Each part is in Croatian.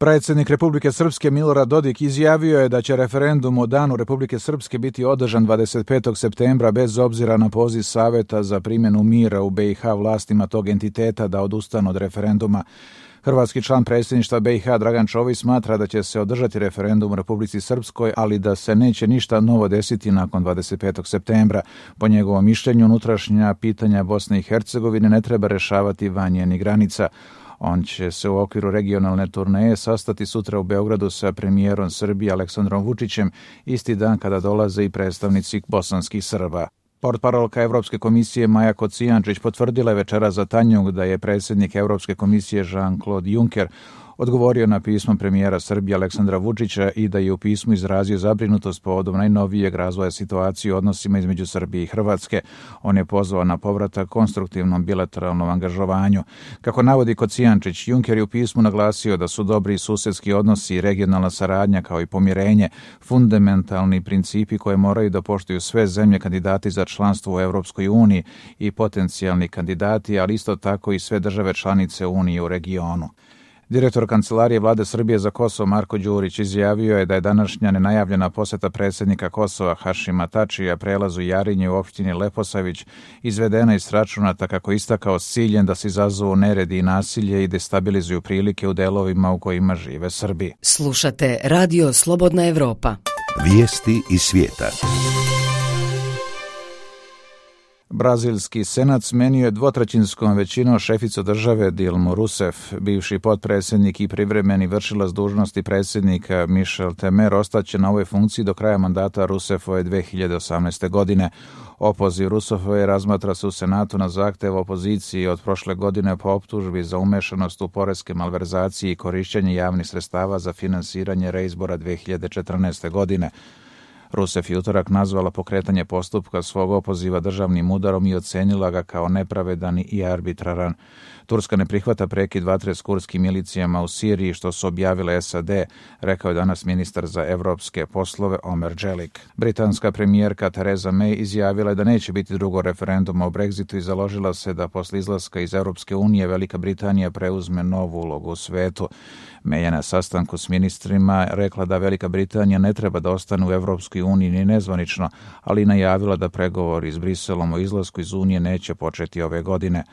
Predsjednik Republike Srpske Milorad Dodik izjavio je da će referendum o Danu Republike Srpske biti održan 25. septembra bez obzira na poziv Saveta za primjenu mira u BiH vlastima tog entiteta da odustanu od referenduma. Hrvatski član predsjedništva BiH Dragan Čović smatra da će se održati referendum u Republici Srpskoj, ali da se neće ništa novo desiti nakon 25. septembra. Po njegovom mišljenju, unutrašnja pitanja Bosne i Hercegovine ne treba rešavati van njenih granica. On će se u okviru regionalne turneje sastati sutra u Beogradu sa premijerom Srbije Aleksandrom Vučićem, isti dan kada dolaze i predstavnici bosanskih Srba. Portparolka Evropske komisije Maja Kocijančić potvrdila je večeras za Tanjug da je predsjednik Evropske komisije Jean-Claude Juncker odgovorio na pismo premijera Srbije Aleksandra Vučića i da je u pismu izrazio zabrinutost povodom najnovijeg razvoja situacije u odnosima između Srbije i Hrvatske. On je pozvao na povratak konstruktivnom bilateralnom angažovanju. Kako navodi Kocijančić, Juncker je u pismu naglasio da su dobri susedski odnosi i regionalna saradnja kao i pomirenje fundamentalni principi koje moraju da poštuju sve zemlje kandidati za članstvo u Europskoj uniji i potencijalni kandidati, ali isto tako i sve države članice Unije u regionu. Direktor Kancelarije Vlade Srbije za Kosovo Marko Đurić izjavio je da je današnja nenajavljena poseta predsjednika Kosova Hašima Tačija prelazu Jarinje u opštini Leposavić izvedena iz računata, kako istakao, s ciljem da se izazovu neredi i nasilje i destabilizuju prilike u delovima u kojima žive Srbi. Slušate Radio Slobodna Evropa. Vijesti iz svijeta. Brazilski senat smenio je dvotrećinskom većinom šeficu države Dilmu Rousseff. Bivši potpredsjednik i privremeni vršilac dužnosti predsjednika Michel Temer ostaće na ovoj funkciji do kraja mandata Rousseffove 2018. godine. Opoziv Rousseffove razmatra se u Senatu na zahtev opozicije od prošle godine po optužbi za umešanost u poreske malverzacije i korišćenje javnih sredstava za finansiranje reizbora 2014. godine. Rousseff je utorak nazvala pokretanje postupka svog opoziva državnim udarom i ocenila ga kao nepravedan i arbitraran. Turska ne prihvata prekid vatre s kurdskim milicijama u Siriji, što su objavile SAD, rekao je danas ministar za evropske poslove Omer Dželik. Britanska premijerka Theresa May izjavila je da neće biti drugog referenduma o Brexitu i založila se da posle izlaska iz Europske unije Velika Britanija preuzme novu ulogu u svetu. May je na sastanku s ministrima rekla da Velika Britanija ne treba da ostane u Evropskoj uniji ni nezvanično, ali najavila da pregovori s Briselom o izlasku iz Unije neće početi ove godine.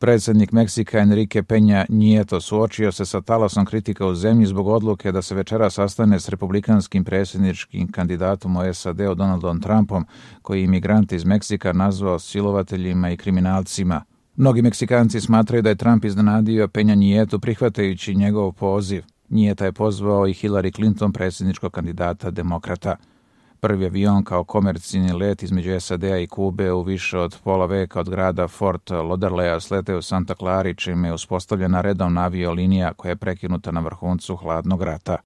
Predsjednik Meksika Enrique Peña Nieto suočio se sa talasom kritika u zemlji zbog odluke da se večeras sastane s republikanskim predsjedničkim kandidatom u SAD-u Donaldom Trumpom, koji je imigrante iz Meksika nazvao silovateljima i kriminalcima. Mnogi Meksikanci smatraju da je Trump iznenadio Peña Nietu prihvatajući njegov poziv. Njeta je pozvao i Hillary Clinton, predsjedničkog kandidata demokrata. Prvi avion kao komercijalni let između SAD-a i Kube u više od pola veka od grada Fort Lauderdale sleteo u Santa Clara, čime je uspostavljena redovna aviolinija koja je prekinuta na vrhuncu hladnog rata.